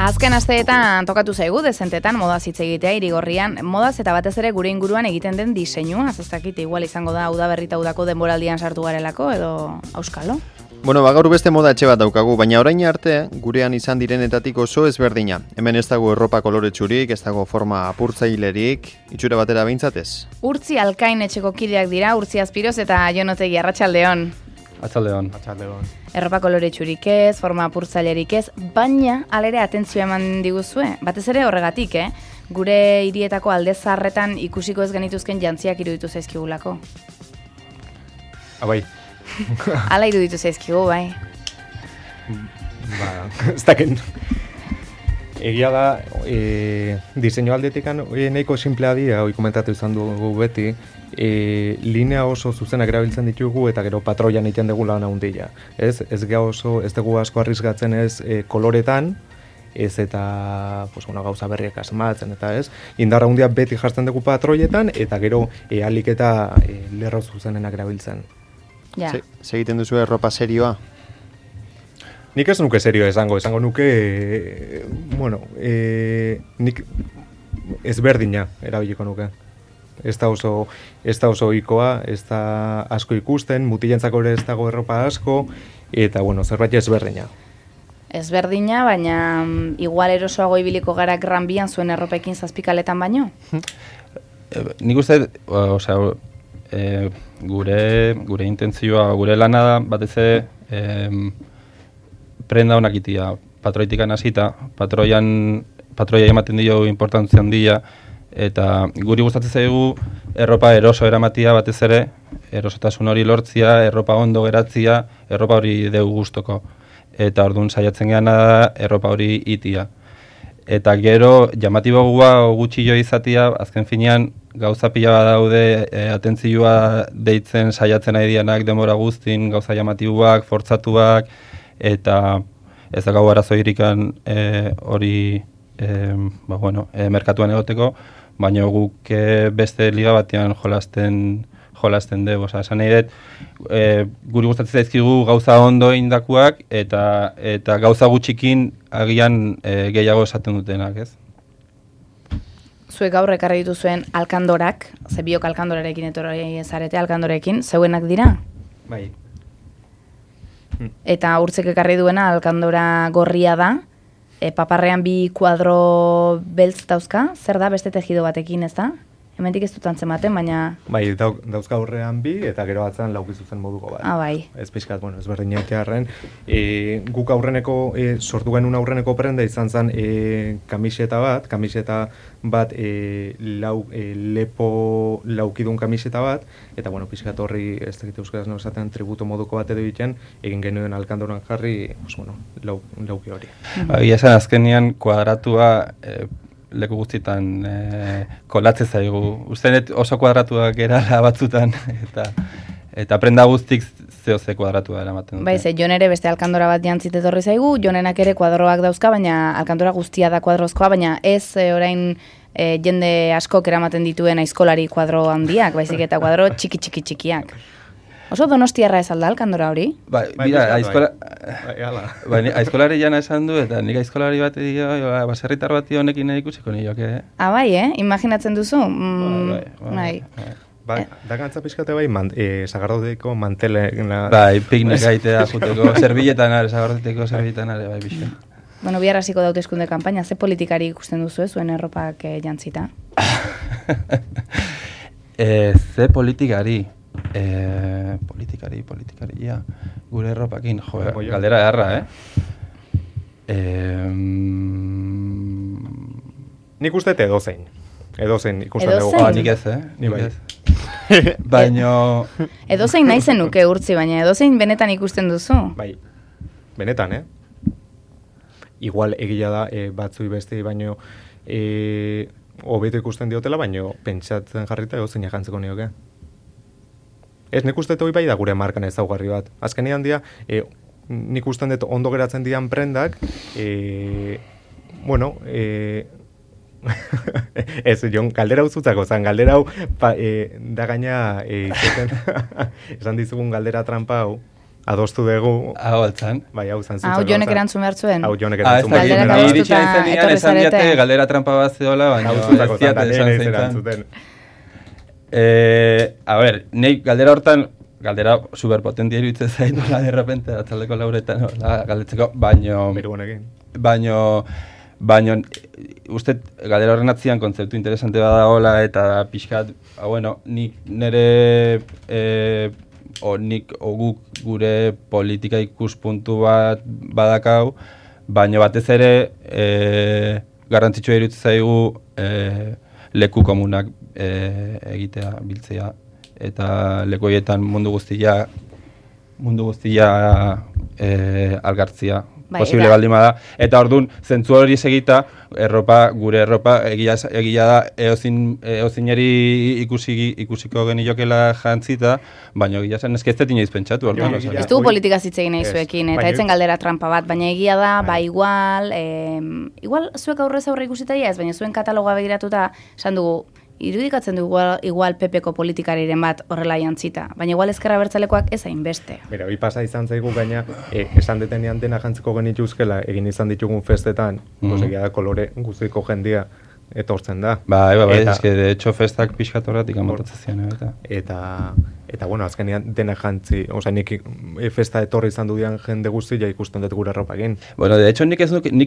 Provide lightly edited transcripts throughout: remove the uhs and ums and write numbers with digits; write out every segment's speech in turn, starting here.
Azken asteetan tokatu zaigu dezentetan modaz hitz egitea Irigorrian, modaz eta batez ere gure inguruan egiten den diseinua, ez dakit igual izango da udaberrita udako denboraldian sartu garelako edo auskalo. Bueno, gaur beste moda etxe bat daukagu, baina orain arte gurean izan direnetatik oso ezberdina. Hemen ez dago erropa koloretsurik, ez dago forma apurtzailerik, itxura batera behintzat ez. Urtzi Alkain etxeko kideak dira, Urtzi Azpiroz eta Jon Otegi, arratsaldeon. Arratsaldeon. Erropa koloretsurik ez, forma apurtzailerik ez, baina alere atentzioa eman diguzue, batez ere horregatik, gure hirietako alde zaharretan ikusiko ez genituzken jantziak iruditu zaizkigulako. Bai. Hala iruditu zaizkigu, bai. Ez daken. Egia da, diseinu aldetikan nahiko simplea dira, hori komentatu izan dugu beti, linea oso zuzenak erabiltzen ditugu eta gero patroian egiten dugu lan handia. Ez dugu asko arrisgatzen ez koloretan, ez eta gauza berriak asmatzen eta ez. Indarra handia beti jartzen dugu patroietan eta gero alik eta lerro zuzenenak erabiltzen. Ja. Segiten duzu erropa serioa? Nik ez nuke serioa esango nuke, nik ezberdina erabiliko nuke. Ez da oso ohikoa, ez da asko ikusten, mutilentzako ere ez dago erropa asko, eta zerbait ezberdina. Ezberdina, baina igual erosoago ibiliko gara Gran Bian zuen erropekin zazpikaletan baino? Nik uste, gure intentzioa, gure lana da, batez ere, prenda honak itia, patroitikan hasita, patroia ematen dio importantzia handia, eta guri gustatzen zaigu erropa eroso eramatia batez ere, erosotasun hori lortzia, erropa ondo geratzia, erropa hori deu gustoko. Eta orduan saiatzen geana da erropa hori itia. Eta gero, jamatiboa gutxi jo izatia, azken finean, gauza pila bat daude, atentzioa deitzen saiatzen nahi dianak denbora guztin, gauza jamatiboak, fortzatuak, eta ez da gau arazo irikan hori merkatuan egoteko, baina guk beste liga batean jolasten dugu. Esan nahi dut, guri gustatzen zaizkigu gauza ondo indakuak eta gauza gutxikin agian gehiago esaten dutenak, ez? Zuek gaur ekarri dituzuen alkandorak, ze biok alkandorarekin etorri zarete alkandorekin, zeuenak dira? Bai. Eta Urtzek ekarri duena alkandora gorria da, paparrean bi kuadro beltz dauzka, zer da beste tejido batekin, ez da? Hemendik ez dut antzematen, baina... Bai, dauzka aurrean bi, eta gero batzen laukizuzen moduko bat. Bai. Ez pixkat, ez berdin etearren. Guk aurreneko, sortu genuen aurreneko prenda izan zen kamiseta bat, lepo laukidun kamiseta bat, eta pixkat horri, ez dakit euskaraz no esaten, tributo moduko bat edo egiten, egin genuen alkandoran jarri, lauki hori. Egia esan azkenean kuadratua leku guztietan kolatzen zaigu. Ustenet oso kuadratuak erala batzutan, eta prenda guztik ze kuadratua eramaten dute. Bai, ze Jon ere beste alkandora bat jantzit etorri zaigu, Jonenak ere kuadroak dauzka, baina alkandora guztia da kuadrozkoa, baina ez orain jende askok eramaten dituen aizkolari kuadro handiak, baizik eta kuadro txikiak. Oso donostiarra ez alda alkandora hori? Bai, aizkolari jana esan du, eta nik aizkolari bat edo, baserritar bat honekin ikusiko nioak, Bai, imaginatzen duzu? Bai. Da gantza pixkate sagardoteko mantele... Bai, piknik gaitea juteko, sagardoteko zerbietan are, bai, bixen. Bihar hasiko da hauteskunde kanpaina, ze politikari ikusten duzu zuen erropak jantzita? Ze politikari? Politikari, ja. Gure erropakin, galdera eharra, Nik uste edozein ikusten dugu. Nik ez, Nik bai. Baina... Edozein nahi zenuke Urtzi, baina edozein benetan ikusten duzu? Bai, benetan, Igual egia da batzui beste, baino hobeto ikusten diotela, baino pentsatzen jarrita edozein jantzeko nioke. Ez, nik uste hori bai da gure markan ezaugarri bat. Azkenean dia, nik usten dut ondo geratzen dian prendak, Ez, Jon, galdera hau zutzako, zan, galdera hau, da gaina, esan dizugun galdera trampa hau, adostu dugu. Hau altzan. Bai, hau zan zutzako. Hau Jonek erantzun behar zuen. Hau Jonek erantzun behar zuen. Galderak Ni iritsi naizenean esan diate galdera trampa bat zeola, baina Hau zutzako, ez diate zan, esan ez zeintan. erantzuten. A ber, nahi galdera hortan, galdera superpotentia iruditzen zaitu la de repente, atzaldeko lauretan, galdetzeko, baino uste galdera horren atzian kontzeptu interesante badagoela eta pixkat, bueno, nik nire guk gure politika ikuspuntu bat badakau, baina batez ere garrantzitsua iruditzen zaigu leku komunak egitea, biltzea, eta leku horietan mundu guztia algartzia posible baldin bada, eta orduan zentzu hori segita gure erropa egia da eozineri ikusiko geniokela jantzita, baina egia zen ez inoiz pentsatu orduan. Ez dugu politika zitzegin nahi zuekin, eta etzen galdera trampa bat, baina egia da, igual zuek aurrez aurre ikusita ez, baina zuen katalogoa begiratuta, esan dugu, irudikatzen du igual PPko politikariren bat horrela jantzita, baina igual ezkerra bertzalekoak ez hainbeste. Bera, hori pasa izan zaigu gaina, esan detenean dena jantziko genituzkela, egin izan ditugun festetan, egia da kolore guztiko jendia etortzen da. Bai, eske de hecho festak pixkat horretik amontatzen zian, eta bueno, azkenean dena jantzi, osea, nik festa etorri izan dudian jende guztia ikusten dut gure erropa egin. Bueno, de hecho, nik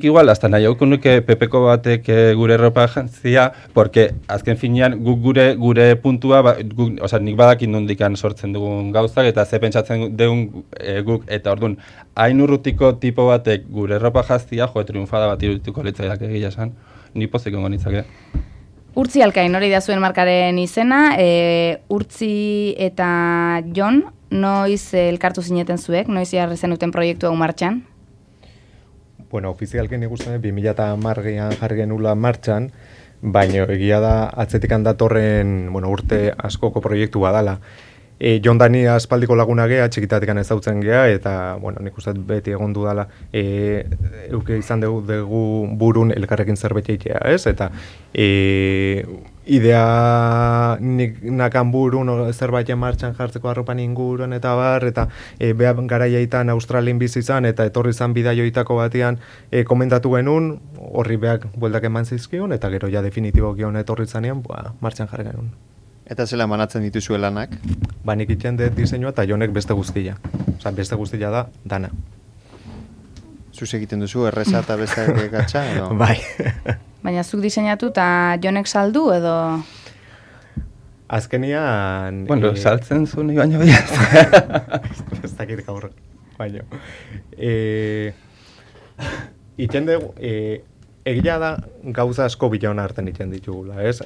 igual, hasta nahi hauko nuke PPko batek gure erropa jantzia, porque azken finean guk gure puntua, osea, nik badakin nondikan sortzen dugun gauzak, eta ze pentsatzen dugun guk, eta orduan, hain urrutiko tipo batek gure erropa jantzia, triunfada bat irudituko litzaidak egia esan, ni pozik ongo nitzake. Urtzi Alkain, hori da zuen markaren izena, Urtzi eta Jon, noiz elkartu zineten zuek, noiz jarri zenuten proiektu hau martxan? Bueno, ofizialken ikusten 2010an jarri genula martxan, baina egia da atzetikan datorren, urte askoko proiektu badala. Jon Dani aspaldiko laguna gea, txikitatekan ezautzen gea, eta, nik uste beti egon dudala, euke izan dugu burun elkarrekin zerbait egitea, ez? Eta idea nik nakan burun zerbait martxan jartzeko arropan inguruan eta bar, eta behar garaiaitan Australien bizi izan, eta etorri izan bidaioitako batean komentatu genuen, horri behar bueltak eman zizkion, eta gero ja definitibo gion etorri zanean, martxan jarri genuen. Eta zela manatzen dituzue lanak? Nik itxen dut diseinua eta Jonek beste guztia. Osa, beste guztia da, dana. Zuz egiten duzu, erreza eta beste gatsa, edo? Bai. Baina zuk diseinatu eta Jonek saldu, edo? Azkenian... Bueno, saltzen zu nahi baino behar. Ez dakit gaur, baino. Itxen dugu... Egia da gauza asko bilauna hartzen ditzen ditugula, ez?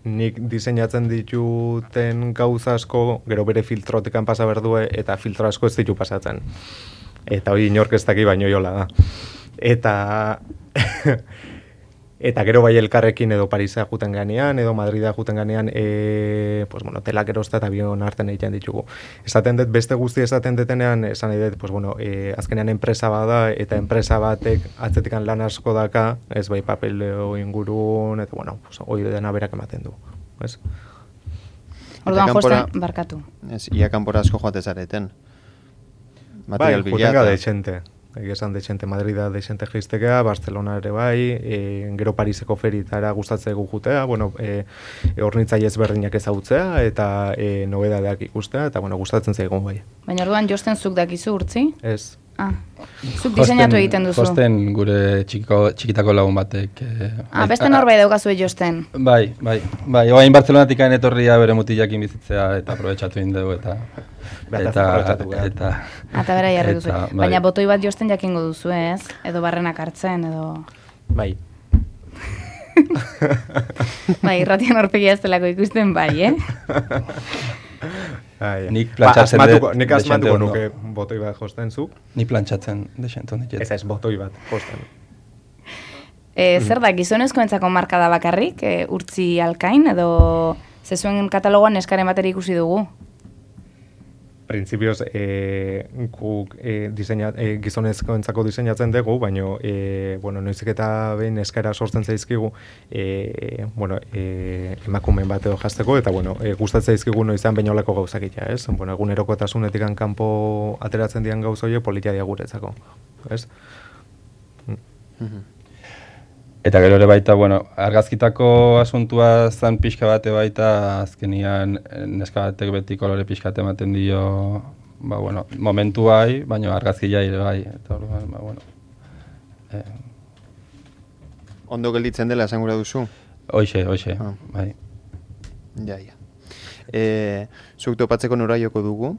Nik diseinatzen dituten gauza asko, gero bere filtrotekan pasa berdue, eta filtro asko ez ditu pasatzen. Eta hori inork ez daki baino jola da. Eta gero bai elkarrekin edo Parisa juten ganean, edo Madrida juten ganean, telak erozta eta bion hartzen egiten ditugu. Esaten dut, beste guzti esaten detenean, esan nahi dut, azkenean enpresa bada, eta enpresa batek atzetikan lan asko daka, ez bai papeleo ingurun, eta hori dena berak ematen du. Orduan josten, barkatu. Ia kanpora asko joate zareten. Material bai, jutenga dexente. Egesan dexente Madrida dexente geistekea, Barcelona ere bai, gero Pariseko feritara gustatzegu jutea, hornitzaile ezberdinak ezagutzea eta nobedadeak ikustea, eta gustatzen zaigun bai. Baina orduan josten zuk dakizu, Urtzi? Ez. Zuk diseinatu egiten duzu? Josten gure txikitako lagun batek. Beste norbait daukazu josten? Bai, oain Barcelonatik etorria bere mutilakin bizitzea eta aprobetxatu egin dugu eta bera jarri duzu. Baina botoi bat josten jakingo duzu, ez? Edo barrenak hartzen, edo... Bai. Irratian horpegia ez delako ikusten bai, Nik plantxatzen nik asmatuko nuke botoi bat josten zu. Nik plantxatzen desente honik. Ez botoi bat josten. Zer da, gizonezkoentzako marka da bakarrik, Urtzi Alkain, edo zezuen katalogoan eskaren bateri ikusi dugu? printzipioz guk gizonezkoentzako diseinatzen dugu, baina noizik eta behin eskaera sortzen zaizkigu emakumeen bat edo jazteko, eta gustatzen zaizkigu noizan behin olako gauzakitea, ez? Egunerokotasunetik kanpo ateratzen dian gauza horiek politia dia guretzako, ez? Eta gero ere baita, argazkitako asuntua zan pixka bate baita, azkenian neska batek beti kolore pixka ematen dio, momentu bai, baina argazkia ere bai. Eta Ondo gelditzen dela, esan gura duzu? Hoxe, bai. Ja. Zuek topatzeko nora joko dugu?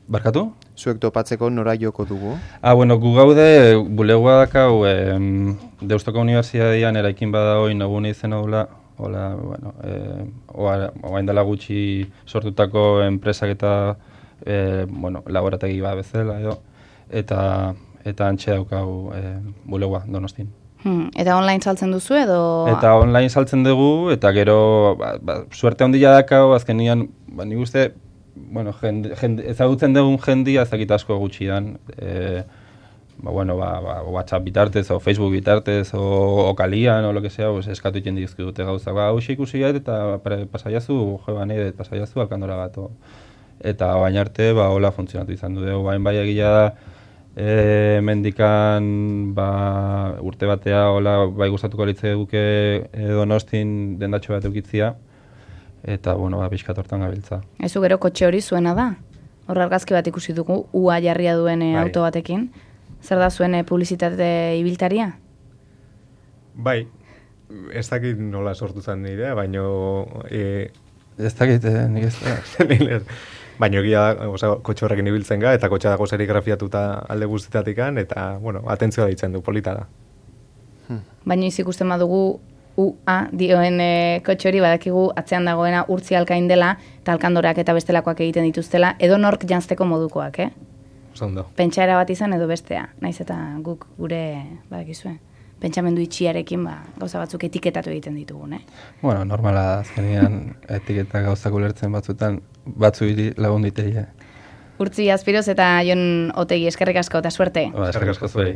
Barkatu? Zuek topatzeko nora joko dugu? Gu gaude, bulegoa dakau, Deustoko Unibertsitatean eraikin bada hoi nagune izena dula, oain dela gutxi sortutako enpresak eta laborategi bat bezala edo, eta antxe daukau bulegoa Donostin. Eta online saltzen duzu edo? Eta online saltzen dugu, eta gero suerte handia dakau, azkenian, nik uste, ezagutzen dugun jendia ezakit asko gutxidan, WhatsApp bitartez, o Facebook bitartez, o kalian, o lo que sea, eskatu iten dizkidute gauzak. Hau ikusi gait, eta pasaiazu, pasaiazu Alkandora bat. Eta baina arte, hola funtzionatu izan du dugu. Bain bai egia da, mendikan urte batea, hola, bai gustatuko litze duke Donostin dendatxo bat eukitzia, eta, pixkat hortan gabiltza. Ezu gero kotxe hori zuena da? Hor argazki bat ikusi dugu, ua jarria duen auto batekin. Zer da zuen publizitate ibiltaria? Bai, ez dakit nola sortu zen nire, baina... Ez dakit, nik ez da. Baina egia da, kotxe horrekin ibiltzen ga, eta kotxe dago serigrafiatuta alde guztitatikan, eta, atentzioa ditzen du, polita da. Baina izik ikusten badugu dioen kotxe hori badakigu atzean dagoena urtzi alkain dela, eta alkandorak eta bestelakoak egiten dituztela, edo nork jantzteko modukoak, Zondo. Pentsaera bat izan edo bestea, naiz eta guk gure, badakizue, pentsamendu itxiarekin gauza batzuk etiketatu egiten ditugun, Normala da, azkenean etiketa gauzak ulertzen batzuetan, batzuiri lagun diteia. Urtzi Azpiroz eta Jon Otegi, eskerrik asko eta suerte. Eskerrik asko zuei.